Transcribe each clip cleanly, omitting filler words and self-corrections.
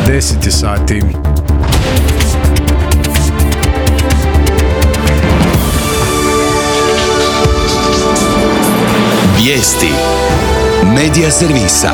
10 sati. Vijesti Medija servisa.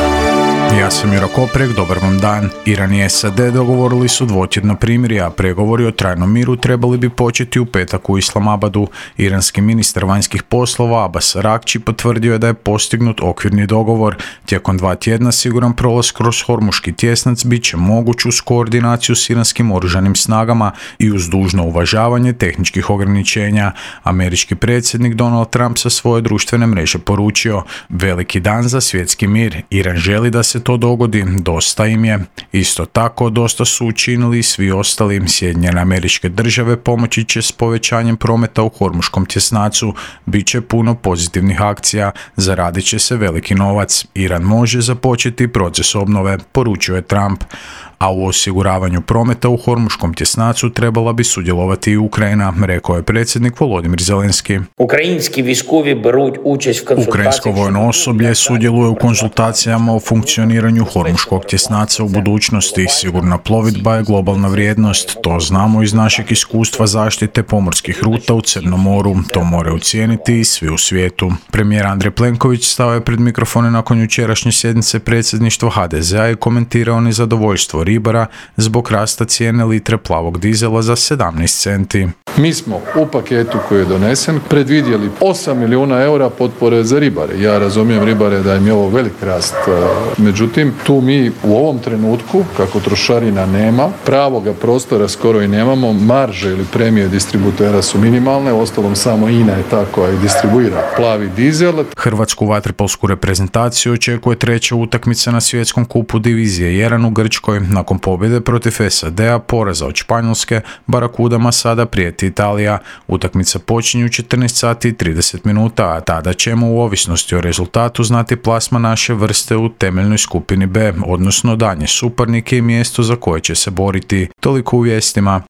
Ja sam Juro Koprek, dobar vam dan. Iran i SAD dogovorili su dvotjedno primirje, a pregovori o trajnom miru trebali bi početi u petak u Islamabadu. Iranski ministar vanjskih poslova Abbas Araghchi potvrdio je da je postignut okvirni dogovor. Tijekom 2 tjedna siguran prolaz kroz Hormuški tjesnac bit će moguć uz koordinaciju s iranskim oružanim snagama i uz dužno uvažavanje tehničkih ograničenja. Američki predsjednik Donald Trump sa svoje društvene mreže poručio: veliki dan za svjetski mir. Iran želi da se to dogodi, dosta im je. Isto tako, dosta su učinili i svi ostali. Sjedinjene Američke Države pomoći će s povećanjem prometa u Hormuškom tjesnacu. Biće puno pozitivnih akcija, zaradit će se veliki novac. Iran može započeti proces obnove, poručio je Trump. A u osiguravanju prometa u Hormuškom tjesnacu trebala bi sudjelovati i Ukrajina, rekao je predsjednik Volodymyr Zelenski. Ukrajinsko vojno osoblje sudjeluje u konzultacijama o funkcioniranju Hormuškog tjesnaca u budućnosti. Sigurna plovidba je globalna vrijednost, to znamo iz našeg iskustva zaštite pomorskih ruta u Crnom moru. To moraju cijeniti i svi u svijetu. Premijer Andrej Plenković stao je pred mikrofone nakon jučerašnje sjednice predsjedništva HDZ-a i komentirao nezadovoljstvo ribara zbog rasta cijene litre plavog dizela za 17 centi. Mi smo u paketu koji je donesen predvidjeli 8 milijuna eura potpore za ribare. Ja razumijem ribare da im je ovo velik rast. Međutim, tu mi u ovom trenutku, kako trošarina nema, pravoga prostora skoro i nemamo, marže ili premije distributera su minimalne, uostalom samo INA je ta koja i distribuira plavi dizel. Hrvatsku vaterpolsku reprezentaciju očekuje 3. utakmica na svjetskom kupu divizije 1 u Grčkoj. Nakon pobjede protiv SAD-a, poraza od Španjolske, Barakudama sada prijeti Italija. Utakmica počinje u 14 sati i 30 minuta, a tada ćemo u ovisnosti o rezultatu znati plasman naše vrste u temeljnoj skupini B, odnosno danje suparnike i mjesto za koje će se boriti. Toliko u vijestima.